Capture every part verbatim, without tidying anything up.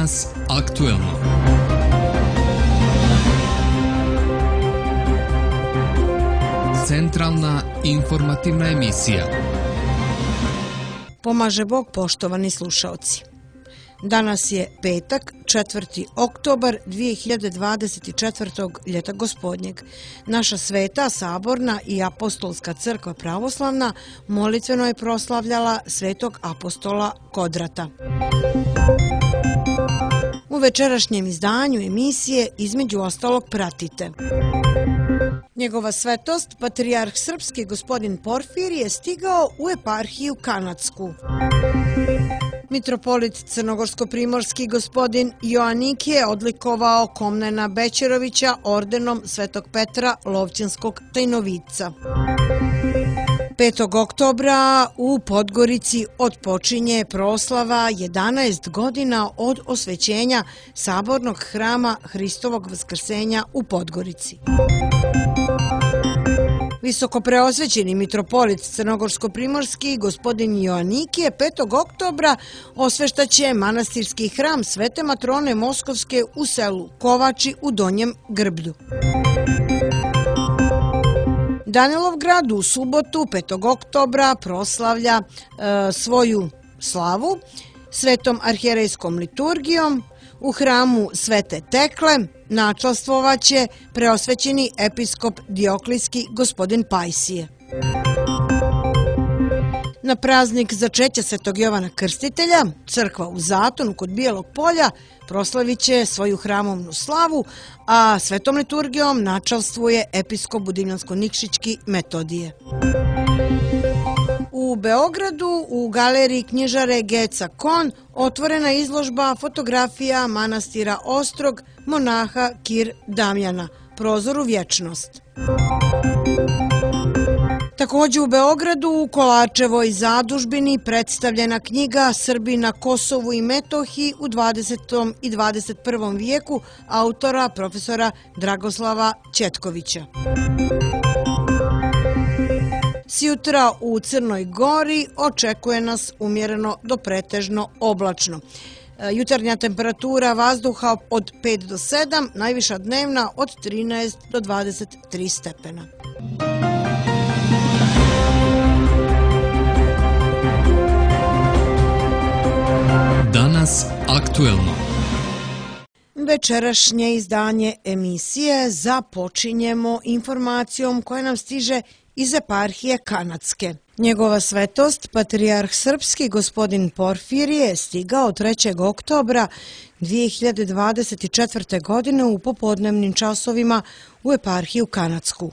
Danas aktuelno. Centralna informativna emisija. Pomaže Bog, poštovani slušaoci. Danas je petak, četvrti oktobar dvije hiljade dvadeset četvrtog. ljeta gospodnjeg. Naša sveta, saborna i apostolska crkva pravoslavna molitveno je proslavljala svetog apostola Kodrata. U večerašnjem izdanju emisije između ostalog pratite: Njegova svetost, patrijarh srpski gospodin Porfirije je stigao u eparhiju Kanadsku. Mitropolit crnogorsko-primorski gospodin Joanikije je odlikovao Komnena Bećerovića ordenom Svetog Petra Lovćanskog tajnovica. petog oktobra u Podgorici otpočinje proslava jedanaest godina od osvećenja sabornog hrama Hristovog vaskrsenja u Podgorici. Visokopreosvećeni mitropolit crnogorsko-primorski gospodin Joanikije petog oktobra osveštaće manastirski hram Svete Matrone Moskovske u selu Kovači u Donjem Grbdu. Danilovgrad u subotu petog oktobra proslavlja e, svoju slavu svetom arhijerejskom liturgijom. U hramu Svete Tekle načalstvovaće preosvećeni episkop Dioklijski gospodin Pajsije. Na praznik začeća Svetog Jovana Krstitelja crkva u Zatonu kod Bijelog polja proslavit će svoju hramovnu slavu, a svetom liturgijom načalstvuje episkop Budimljansko-Nikšićki Metodije. U Beogradu u galeriji knjižare Geca Kon otvorena izložba fotografija manastira Ostrog monaha Kir Damjana, Prozor u vječnost. Također u Beogradu u Kolačevoj zadužbini predstavljena knjiga Srbi na Kosovu i Metohiji u dvadesetom i dvadeset prvom vijeku autora profesora Dragoslava Ćetkovića. Sjutra u Crnoj Gori očekuje nas umjereno do pretežno oblačno. Jutarnja temperatura vazduha od pet do sedam, najviša dnevna od trinaest do dvadeset tri stepena. Danas aktuelno. Večerašnje izdanje emisije započinjemo informacijom koja nam stiže iz eparhije Kanadske. Njegova svetost, patrijarh srpski gospodin Porfirije je stigao trećeg oktobra dvije hiljade dvadeset četvrte. godine u popodnevnim časovima u eparhiju Kanadsku.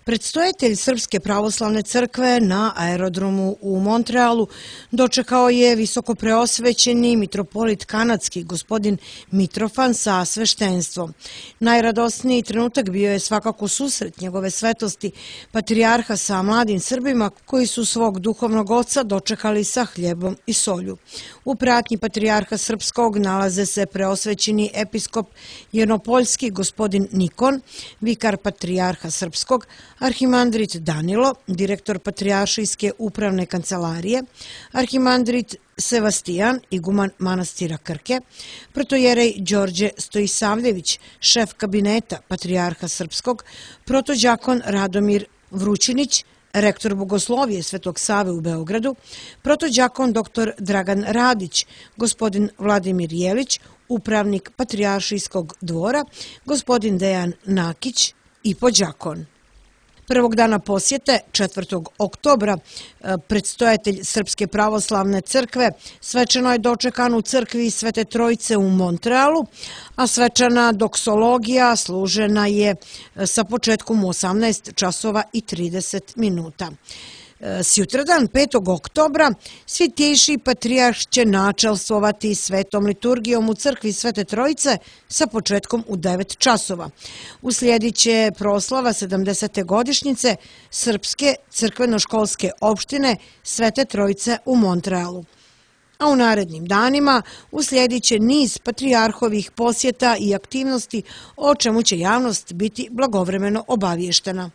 Predstojatelj Srpske pravoslavne crkve na aerodromu u Montrealu dočekao je visokopreosvećeni mitropolit kanadski gospodin Mitrofan sa sveštenstvom. Najradosniji trenutak bio je svakako susret njegove svetosti patrijarha sa mladim Srbima koji su svog duhovnog oca dočekali sa hljebom i solju. U pratnji patrijarha srpskog nalaze se preosvećeni episkop Jednopoljski gospodin Nikon, vikar patrijarha srpskog, arhimandrit Danilo, direktor patrijaršijske upravne kancelarije, arhimandrit Sevastijan, iguman manastira Krke, protojerej Đorđe Stojisavljević, šef kabineta patrijarha srpskog, protođakon Radomir Vrućinić, rektor Bogoslovije Svetog Save u Beogradu, protođakon doktor Dragan Radić, gospodin Vladimir Jelić, upravnik patrijaršijskog dvora, gospodin Dejan Nakić i podđakon. Prvog dana posjete, četvrtog oktobra, predstojatelj Srpske pravoslavne crkve svečano je dočekan u crkvi Svete Trojice u Montrealu, a svečana doksologija služena je sa početkom u osamnaest časova i trideset minuta. Sjutradan, petog oktobra, Svitejši patrijarh će načalstvovati svetom liturgijom u crkvi Svete Trojice sa početkom u devet časova. Uslijedit će proslava sedamdesete godišnjice Srpske crkveno-školske opštine Svete Trojice u Montrealu. A u narednim danima uslijedit će niz patrijarhovih posjeta i aktivnosti, o čemu će javnost biti blagovremeno obavještena.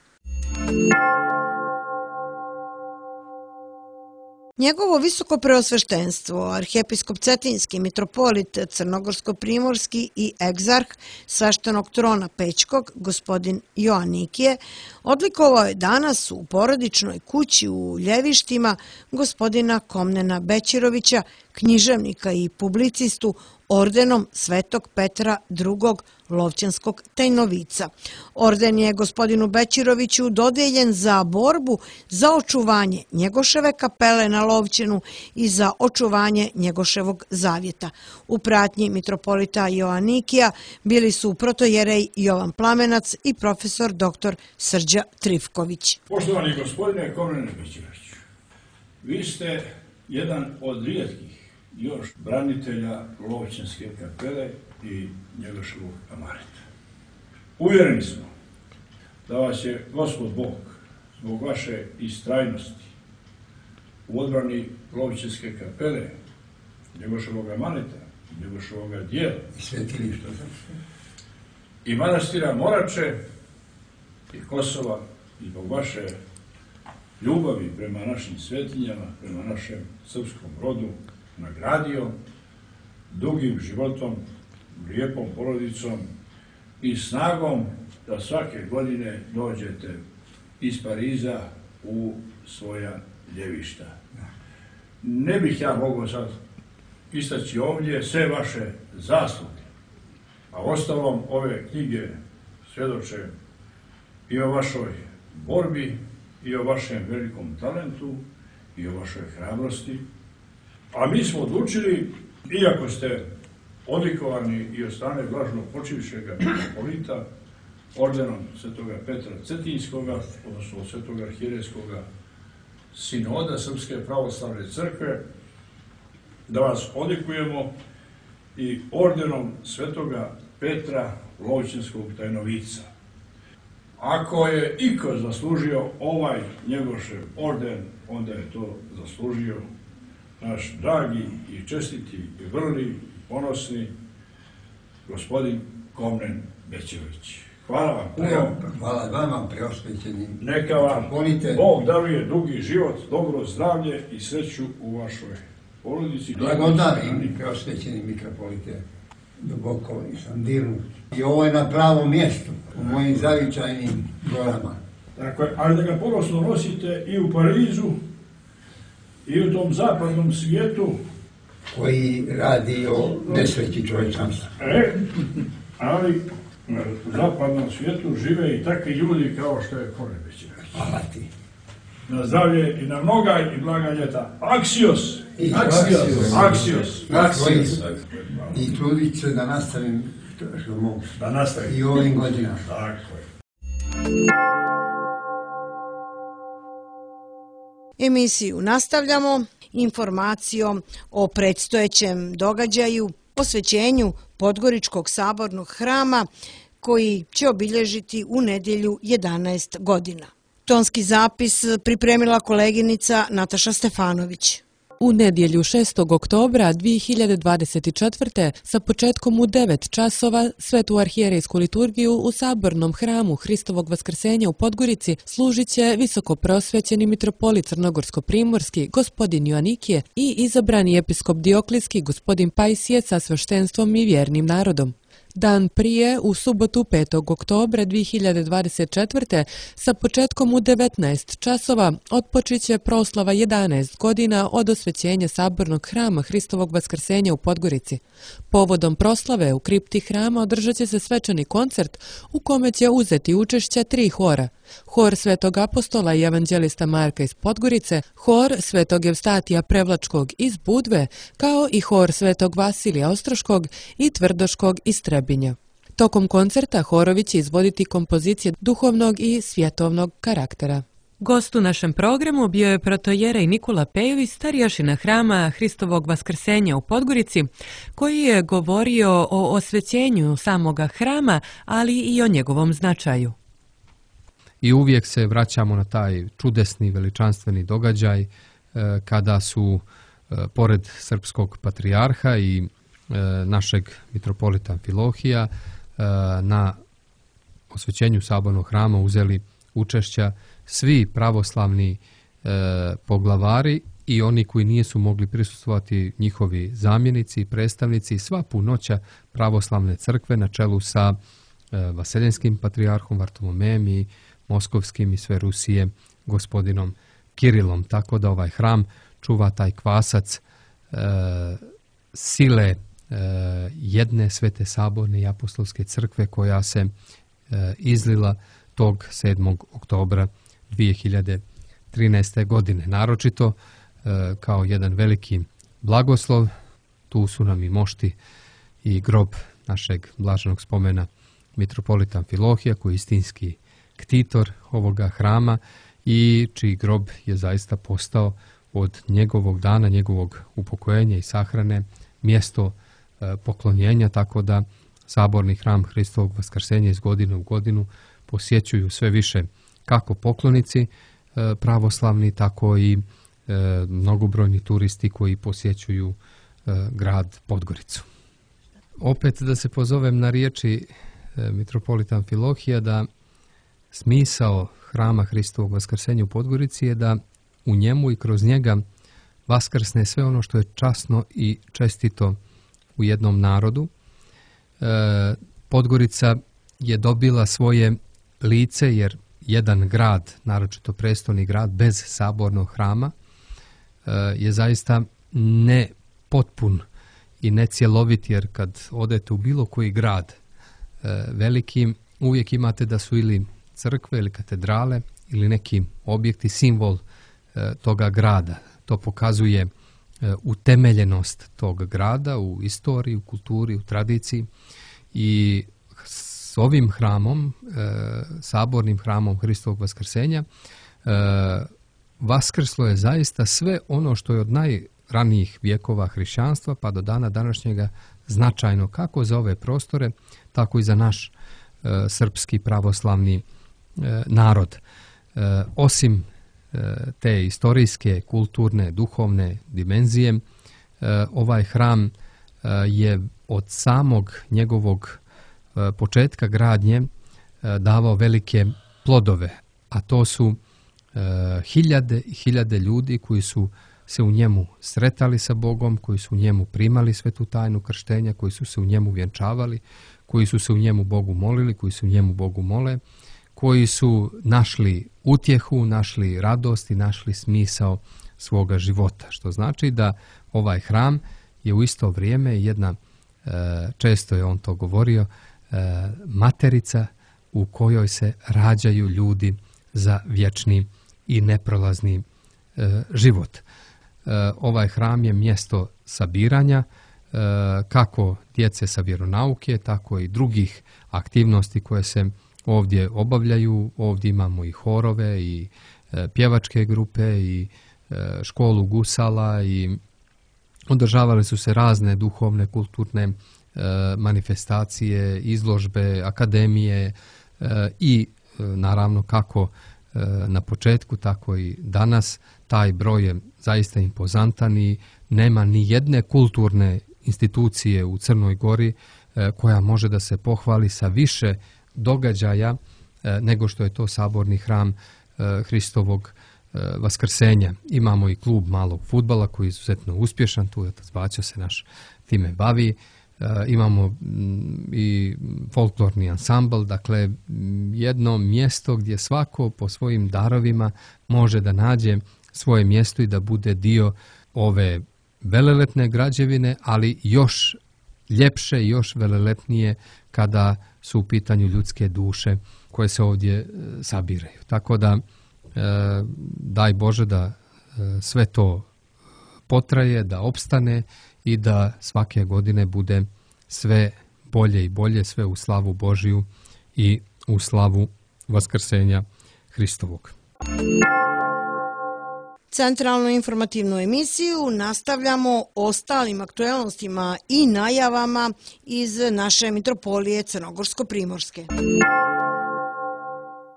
Njegovo visoko preosveštenstvo, arhijepiskop Cetinski, mitropolit Crnogorsko-primorski i egzarh sveštenog trona Pećkog, gospodin Joanikije, odlikovao je danas u porodičnoj kući u Ljevištima gospodina Komnena Bećirovića, književnika i publicistu, ordenom Svetog Petra drugog Lovćanskog tajnovica. Orden je gospodinu Bećiroviću dodeljen za borbu za očuvanje Njegoševe kapele na Lovćenu i za očuvanje Njegoševog zavjeta. U pratnji mitropolita Joanikija bili su protojerej Jovan Plamenac i profesor doktor Srđa Trifković. Poštovani gospodine Komnene Bećiroviću, vi ste jedan od rijetkih još branitelja Lovćanske kapele i Njegoševog amareta. Uvjereni smo da vas je Gospod Bog zbog vaše istrajnosti u odbrani Lovćanske kapele, Njegoševog amareta, Njegoševog dijela i svetilišta i manastira Morače i Kosova i zbog vaše ljubavi prema našim svetinjama, prema našem srpskom rodu, nagradio dugim životom, lijepom porodicom i snagom da svake godine dođete iz Pariza u svoja Ljevišta. Ne bih ja mogao sad istaći ovdje sve vaše zasluge, a ostalom ove knjige svjedoče i o vašoj borbi, i o vašem velikom talentu, i o vašoj hrabrosti. A mi smo odlučili, iako ste odlikovani i od strane blažno počivšega mitropolita, ordenom Svetoga Petra Cetinskoga, odnosno od Svetog arhijerejskoga sinoda Srpske pravoslavne crkve, da vas odlikujemo i ordenom Svetoga Petra Lovćanskog tajnovica. Ako je iko zaslužio ovaj Njegošev orden, onda je to zaslužio naš dragi i čestiti i vrli, ponosni gospodin Komnen Bećirović. Hvala vam puno. Hvala vama, preosvećeni. Neka vam Bog daruje dugi život, dobro zdravlje i sreću u vašoj porodici. Blagodarim, preosvećeni mitropolite, duboko sam dirnut. I ovo je na pravom mjestu, u mojim zavičajnim gorama. Dakle, ali da ga ponosno nosite i u Parizu, i u tom zapadnom svijetu koji radi o nesreći čovječanstva. E, ali u zapadnom svijetu žive i takvi ljudi kao što je Komnen Bećirović. Hvala ti. Na zdravlje i na mnoga i blaga ljeta. Aksios! Aksios! Aksios! Aksios! I trudit se da nastavim što mogu. Da nastavim. I ovim godinama. Tako je. Emisiju nastavljamo informacijom o predstojećem događaju, posvećenju Podgoričkog sabornog hrama koji će obilježiti u nedjelju jedanaest godina. Tonski zapis pripremila koleginica Nataša Stefanović. U nedjelju šestog oktobra dvije hiljade dvadeset četvrte sa početkom u devet časova svetu arhijerejsku liturgiju u sabornom hramu Hristovog vaskrsenja u Podgorici služit će visoko prosvećeni mitropolit Crnogorsko-primorski gospodin Joanikije i izabrani episkop Dioklijski gospodin Pajsije sa sveštenstvom i vjernim narodom. Dan prije, u subotu petog oktobra dvije hiljade dvadeset četvrte sa početkom u devetnaest časova otpočiće proslava jedanaest godina od osvećenja sabornog hrama Hristovog vaskrsenja u Podgorici. Povodom proslave u kripti hrama održat će se svečani koncert u kome će uzeti učešće tri hora. Hor Svetog apostola i evanđelista Marka iz Podgorice, hor Svetog Evstatija Prevlačkog iz Budve, kao i hor Svetog Vasilija Ostroškog i Tvrdoškog iz Trebinja. Tokom koncerta horovi će izvoditi kompozicije duhovnog i svjetovnog karaktera. Gost u našem programu bio je protojerej Nikola Pejović, starješina hrama Hristovog vaskrsenja u Podgorici, koji je govorio o osvećenju samoga hrama, ali i o njegovom značaju. I uvijek se vraćamo na taj čudesni, veličanstveni događaj kada su, pored srpskog patrijarha i našeg mitropolita Amfilohija, na osvećenju sabornog hrama uzeli učešća svi pravoslavni poglavari i oni koji nisu mogli prisustvovati, njihovi zamjenici i predstavnici, sva punoća pravoslavne crkve na čelu sa e, Vaseljenskim patrijarhom Vartolomejem i Moskovskim i sve Rusije gospodinom Kirilom. Tako da ovaj hram čuva taj kvasac e, sile e, jedne svete saborne i apostolske crkve koja se e, izlila tog sedmog oktobra dvije hiljade trinaeste. godine. Naročito e, kao jedan veliki blagoslov, tu su nam i mošti i grob našeg blaženog spomena mitropolita Amfilohija, koji je istinski ktitor ovoga hrama i čiji grob je zaista postao od njegovog dana, njegovog upokojenja i sahrane mjesto e, poklonjenja, tako da saborni hram Hristovog Vaskrsenja iz godine u godinu posjećuju sve više kako poklonici e, pravoslavni, tako i e, mnogobrojni turisti koji posjećuju e, grad Podgoricu. Opet da se pozovem na riječi e, mitropolita Amfilohija da smisao hrama Hristovog Vaskrsenja u Podgorici je da u njemu i kroz njega vaskrsne sve ono što je časno i čestito u jednom narodu. E, Podgorica je dobila svoje lice jer jedan grad, naročito prestolni grad, bez sabornog hrama e, je zaista nepotpun i necjelovit, jer kad odete u bilo koji grad e, veliki, uvijek imate da su ili crkve ili katedrale ili neki objekti simbol e, toga grada. To pokazuje e, utemeljenost tog grada u istoriji, u kulturi, u tradiciji i s ovim hramom, e, sabornim hramom Hristovog Vaskrsenja, e, vaskrslo je zaista sve ono što je od najranijih vjekova hrišćanstva pa do dana današnjega značajno kako za ove prostore, tako i za naš e, srpski pravoslavni e, narod. E, osim e, te istorijske, kulturne, duhovne dimenzije, e, ovaj hram e, je od samog njegovog e, početka gradnje e, davao velike plodove, a to su e, hiljade i hiljade ljudi koji su se u njemu sretali sa Bogom, koji su u njemu primali svetu tajnu krštenja, koji su se u njemu vjenčavali, koji su se u njemu Bogu molili, koji su u njemu Bogu mole, koji su našli utjehu, našli radost i našli smisao svoga života. Što znači da ovaj hram je u isto vrijeme jedna, često je on to govorio, materica u kojoj se rađaju ljudi za vječni i neprolazni život. Ovaj hram je mjesto sabiranja kako djece sa vjeronauke, tako i drugih aktivnosti koje se ovdje obavljaju. Ovdje imamo i horove i pjevačke grupe i školu gusala i održavale su se razne duhovne, kulturne manifestacije, izložbe, akademije i naravno kako na početku, tako i danas. Taj broj je zaista impozantan i nema ni jedne kulturne institucije u Crnoj Gori koja može da se pohvali sa više događaja nego što je to saborni hram Hristovog Vaskrsenja. Imamo i klub malog fudbala koji je izuzetno uspješan, tu je otac Baćo se naš time bavi. Imamo i folklorni ansambl, dakle jedno mjesto gdje svako po svojim darovima može da nađe svoje mjesto i da bude dio ove velelepne građevine, ali još ljepše i još velelepnije kada su u pitanju ljudske duše koje se ovdje sabiraju. Tako da daj Bože da sve to potraje, da opstane i da svake godine bude sve bolje i bolje, sve u slavu Božiju i u slavu Vaskrsenja Hristovog. Centralnu informativnu emisiju nastavljamo ostalim aktuelnostima i najavama iz naše mitropolije Crnogorsko-primorske.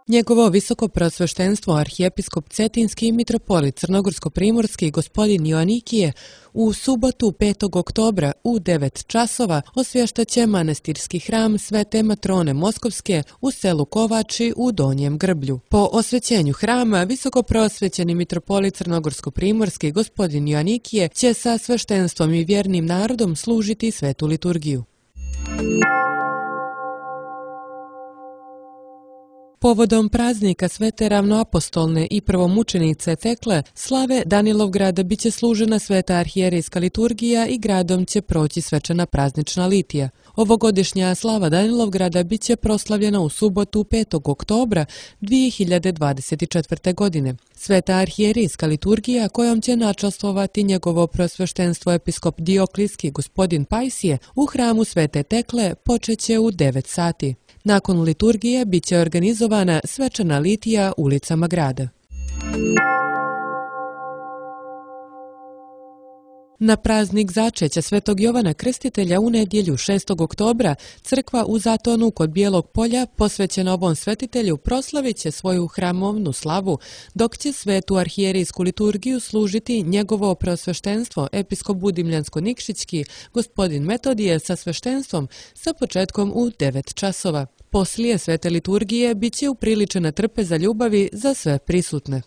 Njegovo visoko preosveštenstvo arhijepiskop Cetinski i mitropolit Crnogorsko-primorski gospodin Joanikije u subotu petog oktobra u devet časova osvještaće manastirski hram Svete Matrone Moskovske u selu Kovači u Donjem Grblju. Po osvećenju hrama visoko preosvećeni mitropolit Crnogorsko-primorski gospodin Joanikije će sa sveštenstvom i vjernim narodom služiti svetu liturgiju. Povodom praznika Svete ravnoapostolne i prvomučenice Tekle, slave Danilovgrada biće služena sveta arhijerejska liturgija i gradom će proći svečana praznična litija. Ovogodišnja slava Danilovgrada biće proslavljena u subotu petog oktobra dvije hiljade dvadeset četvrte. godine. Sveta arhijerejska liturgija kojom će načastvovati njegovo preosveštenstvo episkop Dioklijski gospodin Pajsije u hramu Svete Tekle počeće u devet sati. Nakon liturgije biće organizovana svečana litija ulicama grada. Na praznik začeća Svetog Jovana Krstitelja u nedjelju šestog oktobra crkva u Zatonu kod Bijelog polja posvećena ovom svetitelju proslavit će svoju hramovnu slavu, dok će svetu arhijerejsku liturgiju služiti njegovo preosveštenstvo episkop Budimljansko-Nikšićki gospodin Metodije sa sveštenstvom sa početkom u devet časova. Poslije svete liturgije bit će upriličena trpeza ljubavi za sve prisutne.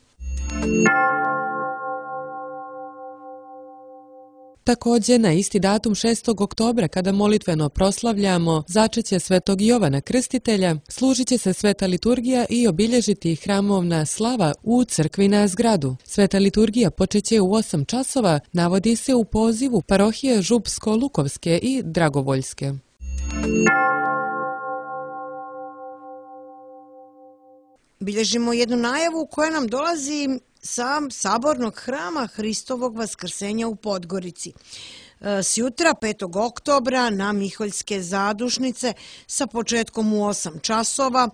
Također, na isti datum šestog oktobra, kada molitveno proslavljamo začeće Svetog Jovana Krstitelja, služit će se sveta liturgija i obilježiti hramovna slava u crkvi na zgradu. Sveta liturgija počeće u osam časova, navodi se u pozivu parohije Župsko-Lukovske i Dragovoljske. Bilježimo jednu najavu koja nam dolazi sa sabornog hrama Hristovog vaskrsenja u Podgorici. Sjutra, petog oktobra, na Miholjske zadušnice sa početkom u osam časova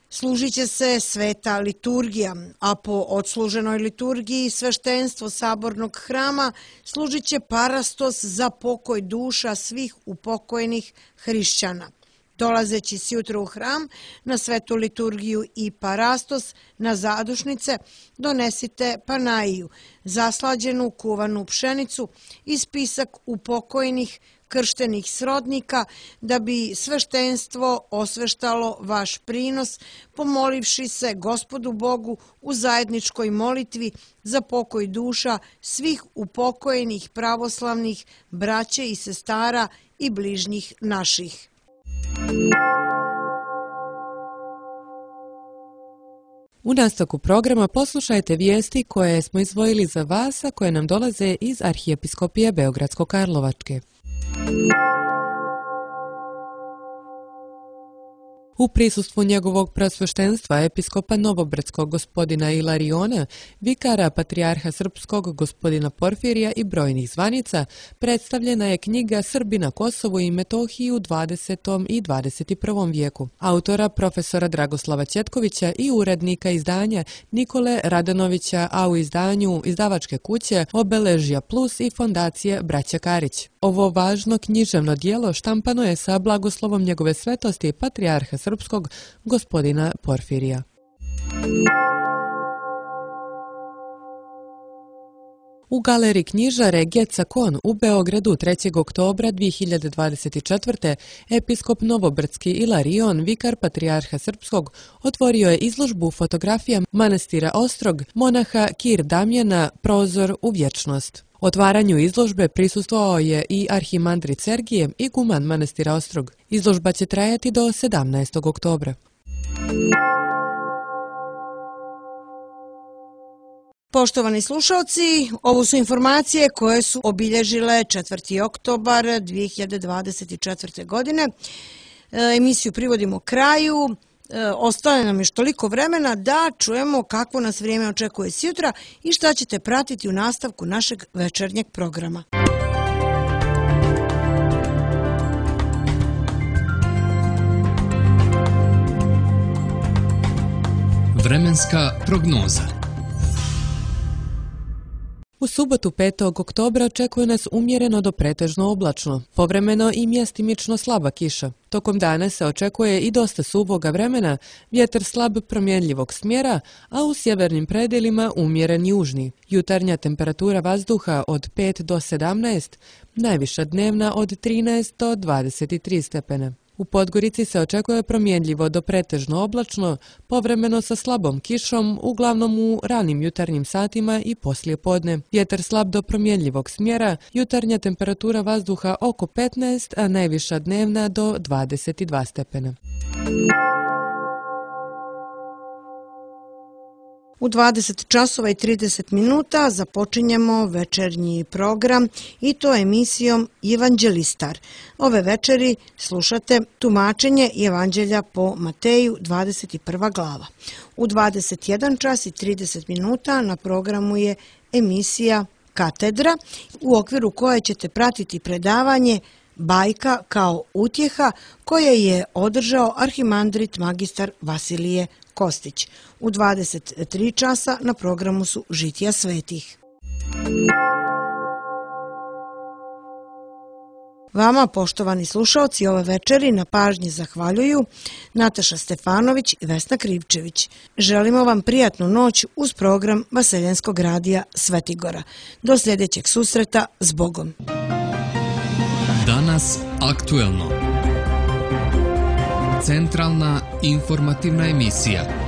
služit će se sveta liturgija, a po odsluženoj liturgiji sveštenstvo sabornog hrama služit će parastos za pokoj duša svih upokojenih hrišćana. Dolazeći sjutra u hram na svetu liturgiju i parastos na zadušnice donesite panaiju, zaslađenu kuvanu pšenicu i spisak upokojenih krštenih srodnika da bi sveštenstvo osveštalo vaš prinos, pomolivši se Gospodu Bogu u zajedničkoj molitvi za pokoj duša svih upokojenih pravoslavnih braće i sestara i bližnjih naših. U nastavku programa poslušajte vijesti koje smo izdvojili za vas, a koje nam dolaze iz Arhijepiskopije Beogradsko-Karlovačke. U prisustvu njegovog preosveštenstva episkopa Novobrdskog gospodina Ilariona, vikara patrijarha srpskog gospodina Porfirija i brojnih zvanica, predstavljena je knjiga Srbi na Kosovu i Metohiji u dvadesetom i dvadeset prvom vijeku, autora profesora Dragoslava Ćetkovića i urednika izdanja Nikole Radanovića, a u izdanju izdavačke kuće Obeležja Plus i fondacije Braća Karić. Ovo važno književno dijelo štampano je sa blagoslovom njegove svetosti patrijarha srpskog gospodina Porfirija. U galeriji knjižare Geca Kon u Beogradu trećeg oktobra dvije hiljade dvadeset četvrte. episkop Novobrdski Ilarion, vikar patrijarha srpskog, otvorio je izložbu fotografija manastira Ostrog, monaha Kir Damjana, Prozor u vječnost. Otvaranju izložbe prisustvovao je i arhimandrit Sergije i guman manastira Ostrog. Izložba će trajati do sedamnaestog oktobra. Poštovani slušalci, ovo su informacije koje su obilježile četvrti oktobar dvije hiljade dvadeset četvrte. godine. Emisiju privodimo kraju. Ostane nam još toliko vremena da čujemo kakvo nas vrijeme očekuje sjutra i šta ćete pratiti u nastavku našeg večernjeg programa. Vremenska prognoza. U subotu petog oktobra očekuje nas umjereno do pretežno oblačno, povremeno i mjestimično slaba kiša. Tokom dana se očekuje i dosta suvoga vremena, vjetar slab promjenljivog smjera, a u sjevernim predjelima umjeren južni. Jutarnja temperatura vazduha od pet do sedamnaest, najviša dnevna od trinaest do dvadeset tri stepena. U Podgorici se očekuje promjenljivo do pretežno oblačno, povremeno sa slabom kišom, uglavnom u ranim jutarnjim satima i poslije podne. Vjetar slab do promjenljivog smjera, jutarnja temperatura vazduha oko petnaest, a najviša dnevna do dvadeset dva stepena. U dvadeset časova i trideset minuta započinjemo večernji program i to emisijom Evanđelistar. Ove večeri slušate tumačenje Evanđelja po Mateju, dvadeset prva glava. U dvadeset jedan čas i trideset minuta na programu je emisija Katedra, u okviru koje ćete pratiti predavanje Bajka kao utjeha koje je održao arhimandrit magistar Vasilije Kostić. U dvadeset tri časa na programu su Žitija svetih. Vama, poštovani slušaoci, ove večeri na pažnji zahvaljuju Nataša Stefanović i Vesna Krivčević. Želimo vam prijatnu noć uz program Vaseljenskog radija Svetigora. Do sljedećeg susreta, s Bogom. Danas aktuelno. Centralna informativna emisija.